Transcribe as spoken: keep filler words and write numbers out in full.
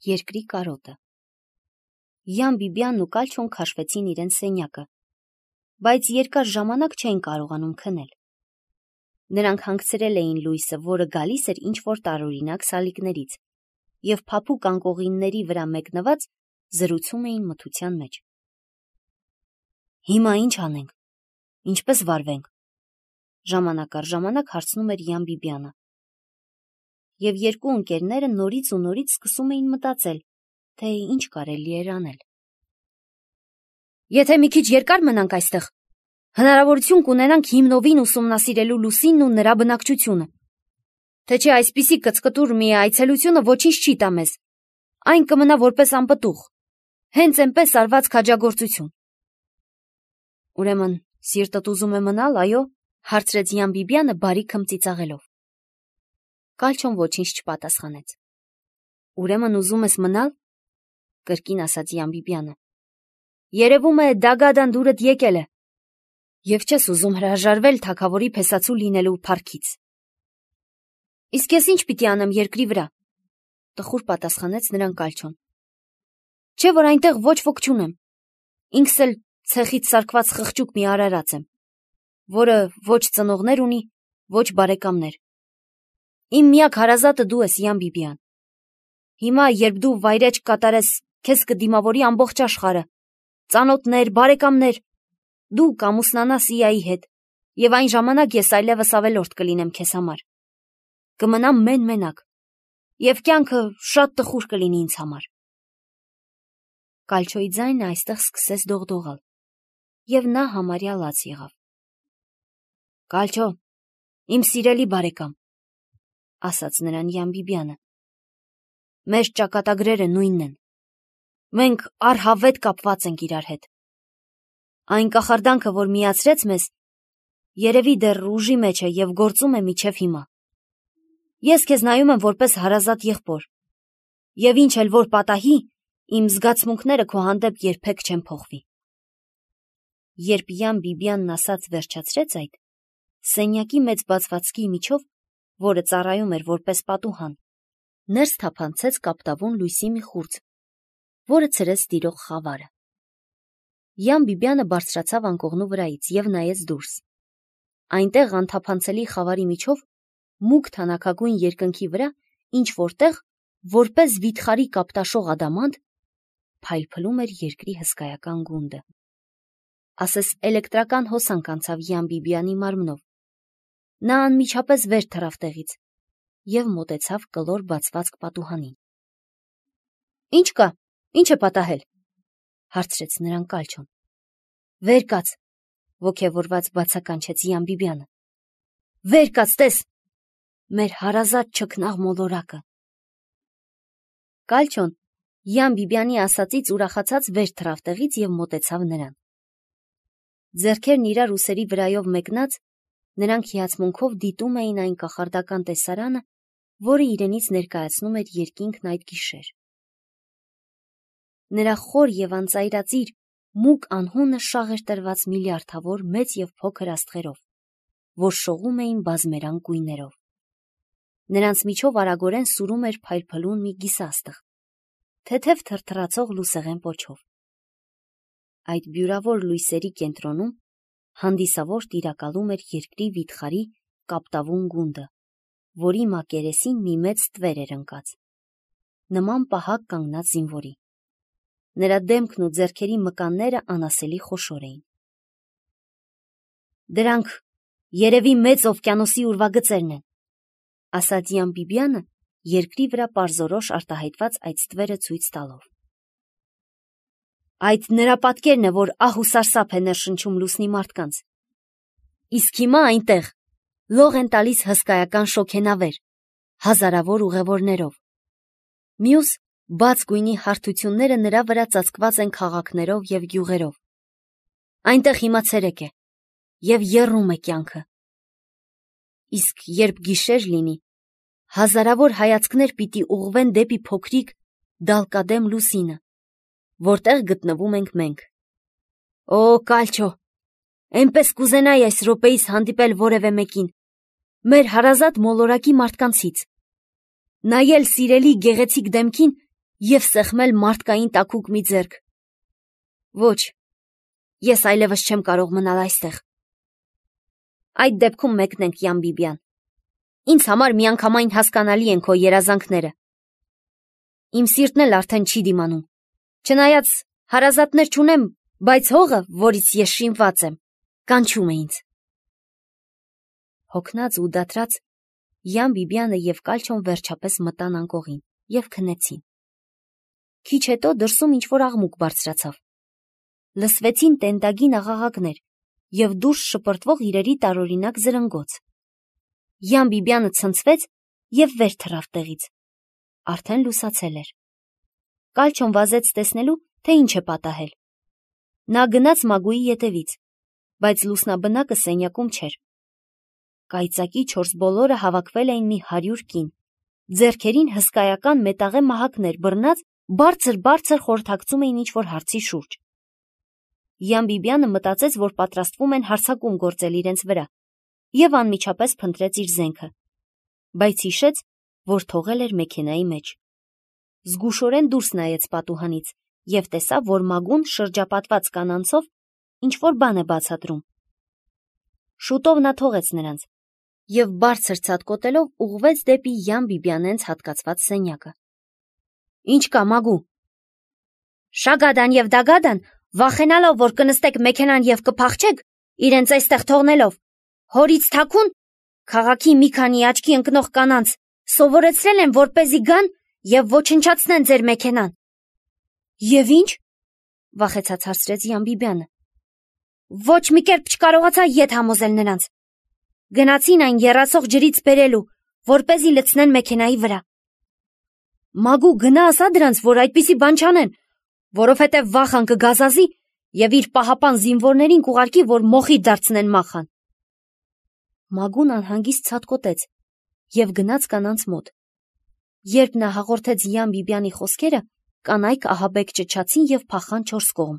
Երկրի կարոտը։ Յան Բիբյանն ու Կալչոն քաշվեցին իրենց սենյակը, բայց երկար ժամանակ չէին կարողանում քնել։ Նրանք հանգցրել էին լույսը, որը գալիս էր ինչ-որ տարօրինակ սալիկներից, և փափուկ անկողինների վրա մեկնված զրուցում էին մթության մեջ։ Հիմա ինչ անենք, ինչպես վարվենք, ժամանակ առ ժամանակ հարցնում էր Յան Բիբյանը։ Եվ երկու ընկերները նորից ու նորից սկսում էին մտածել, թե ինչ կարելի էր անել։ Եթե մի քիչ երկար մնանք այստեղ, հնարավորություն կունենանք հիմնովին ուսումնասիրելու Լուսինն ու նրա բնակչությունը, թե չէ այսպիսի կծկտուր մի այցելությունը ոչինչ չի տա մեզ, այն կմնա որպես անպտուղ, հենց այնպես արված քաջագործություն։ Ուրեմն սիրտդ ուզում է մնալ, այո, հարցրեց Յան Բիբյանը բարի քմծիծաղելով։ Կալչոն ոչինչ չպատասխանեց։ Ուրեմն ուզում ես մնալ, կրկին ասաց Յան Բիբյանը։ Երևում է դագադան դուրդ եկել է, և չես ուզում հրաժարվել թագավորի փեսացու լինելու փառքից։ Իսկ ես ինչ պիտի անեմ երկրի վրա, տխուր պատասխանեց նրան Կալչոն։ Չէ՞ որ այնտեղ ոչ ոք չունեմ, ինքս էլ ցեխից սարքված խղճուկ մի արարած եմ, որը ոչ ծնողներ ունի, ոչ բարեկամներ։ Իմ միակ հարազատը դու ես, Յան Բիբյան։ Հիմա, երբ դու վայրեջք կատարես, քեզ կդիմավորի ամբողջ աշխարհը, ծանոթներ, բարեկամներ, դու կամուսնանաս Իայի հետ, և այն ժամանակ ես այլևս ավելորդ կլինեմ քեզ համար։ Կմնամ մեն-մենակ, և կյանքը շատ տխուր կլինի ինձ համար։ Կալչոյի ձայնը այստեղ սկսեց դողդողալ, և նա համարյա լաց եղավ։ Կալչո, իմ սիրելի բարեկամ, ասաց նրան Յան Բիբյանը, մեր ճակատագրերը նույնն են, մենք առհավետ կապված ենք իրար հետ։ Այն կախարդանքը, որ միացրեց մեզ, երևի դեռ ուժի մեջ է և գործում է մինչև հիմա։ Ես քեզ նայում եմ որպես հարազատ եղբոր, և ինչ էլ որ պատահի, իմ զգացմունքները քո հանդեպ երբեք չեն փոխվի։ Երբ Յան Բիբյանն ասաց վերջացրեց այդ, սենյակի մեծ բացվածքի միջով, որը ծառայում էր որպես պատուհան, ներս թափանցեց կապտավուն լույսի մի խուրձ, որը ցրեց տիրող խավարը։ Յան Բիբյանը բարձրացավ անկողնու վրայից և նայեց դուրս։ Այնտեղ անթափանցելի խավարի միջով, մուգ թանաքագույն երկնքի վրա, ինչ որտեղ, որպես վիթխարի կապտաշող ադամանդ, փայլփլում էր երկրի հսկայական գունդը։ Ասես էլեկտրական հոսանք անցավ Յան Բիբյանի մարմնով։ Նա անմիջապես վեր թռավ տեղից և մոտեցավ կլոր բացվածք պատուհանին։ Ինչ կա, ինչ է պատահել, հարցրեց նրան Կալչոն։ Վեր կաց, ոգևորված բացականչեց Յան Բիբյանը։ Վեր կաց, տես, մեր հարազատ չքնաղ մոլորակը։ Կալչոն Յան Բիբյանի ասածից ուրախացած վեր թռավ տեղից և մոտեցավ նրան։ Ձեռքերն իրար ուսերի վրայով մեկնած, նրանք հիացմունքով դիտում էին այն կախարդական տեսարանը, որը իրենից ներկայացնում էր երկինքն այդ գիշեր։ Նրա խոր և անծայրածիր, մուգ անհունը շաղ էր տրված միլիարդավոր մեծ և փոքր աստղերով, որ շողում էին բազմերանգ գույներով։ Նրանց միջով արագորեն սուրում էր փայլփլուն մի գիսաստղ, թեթև թրթռացող լուսեղեն պոչով։ Այդ բյուրավոր լույսերի կենտրոնում հանդիսավոր տիրակալում էր երկրի վիթխարի կապտավուն գունդը, որի մակերեսին մի մեծ ստվեր էր ընկած, նման պահակ կանգնած զինվորի։ Նրա դեմքն ու ձեռքերի մկանները անասելի խոշոր էին։ Դրանք երևի մեծ օվկիանոսի ուրվագծերն են, ասաց Յան Բիբյանը, երկրի վրա պարզորոշ արտահայտված այդ ստվերը ցույց տալով։ Այդ նրա պատկերն է, որ ահ ու սարսափ է ներշնչում լուսնի մարդկանց։ Իսկ հիմա այնտեղ լող են տալիս հսկայական շոգենավեր, հազարավոր ուղևորներով։ Մյուս բաց գույնի հարթությունները նրա վրա ծածկված են քաղաքներով և գյուղերով։ Այնտեղ հիմա ցերեկ է, և եռում է կյանքը։ Իսկ երբ գիշեր լինի, հազարավոր հայացքներ պիտի ուղղվեն դեպի փոքրիկ դալկադեմ լուսինը, որտեղ գտնվում ենք մենք։ Օ, Կալչո, այնպես կուզենայի այս րոպեիս հանդիպել որևէ մեկին, մեր հարազատ մոլորակի մարդկանցից, նայել սիրելի գեղեցիկ դեմքին և սեղմել մարդկային տաքուկ մի ձեռք։ Ոչ, ես այլևս չեմ կարող մնալ այստեղ։ Այդ դեպքում մեկնենք, Յան Բիբիան։ Ինձ համար միանգամայն հասկանալի են քո երազանքները։ Իմ սիրտն էլ արդեն չի դիմանում, չնայած հարազատներ չունեմ, բայց հողը, որից ես շինված եմ, կանչում է ինձ։ Հոգնած ու դադրած Յան Բիբյանը և Կալչոն վերջապես մտան անկողին և քնեցին։ Քիչ հետո դրսում ինչ-որ աղմուկ բարձրացավ։ Լսվեցին տենդագին աղաղակներ և դուրս շպրտվող իրերի տարօրինակ զրնգոց։ Յան Բիբյանը ցնցվեց և վեր թռավ տեղից։ Արդեն լուսացել էր։ Կալչոն վազեց տեսնելու, թե ինչ է պատահել։ Նա գնաց Մագուի ետևից, բայց լուսնաբնակը սենյակում չէր։ Կայծակի չորս բոլորը հավաքվել էին մի հարյուր կին։ Ձեռքերին հսկայական մետաղե մահակներ բռնած բարձր-բարձր խորհրդակցում էին ինչ-որ հարցի շուրջ։ Յան Բիբյանը մտածեց, որ պատրաստվում են հարձակում գործել իրենց վրա, և անմիջապես փնտրեց իր զենքը, բայց հիշեց, որ թողել էր մեքենայի մեջ։ Զգուշորեն դուրս նայեց պատուհանից և տեսավ, որ Մագուն շրջապատված կանանցով ինչ-որ բան է բացատրում։ Շուտով նա թողեց նրանց և բարձր ցատկոտելով ուղղվեց դեպի Յան Բիբյանենց հատկացված սենյակը։ Ինչ կա, Մագու։ Շագադան և Դագադան, վախենալով, որ կնստեք մեքենան և կփախչեք, իրենց այստեղ թողնելով, հորից թաքուն քաղաքի մի քանի աչքի ընկնող կանանց սովորեցրել են, որպեսզի գան և ոչնչացնեն ձեր մեքենան։ Եվ ինչ, վախեցած հարցրեց Յան Բիբյանը։ Ոչ մի կերպ չկարողացա ետ համոզել նրանց։ Գնացին այն եռացող ջրից բերելու, որպեսզի լցնեն մեքենայի վրա։ Մագու, գնա ասա դրանց, որ այդպիսի բան չանեն, որովհետև վախան կգազազի և իր պահապան զինվորներին կուղարկի, որ մոխիր դարձնեն մախան։ Մագուն անհանգիստ ցատկոտեց և գնաց կանանց մոտ։ Երբ նա հաղորդեց Յան Բիբյանի խոսքերը, կանայք ահաբեկ ճչացին և փախան չորս կողմ։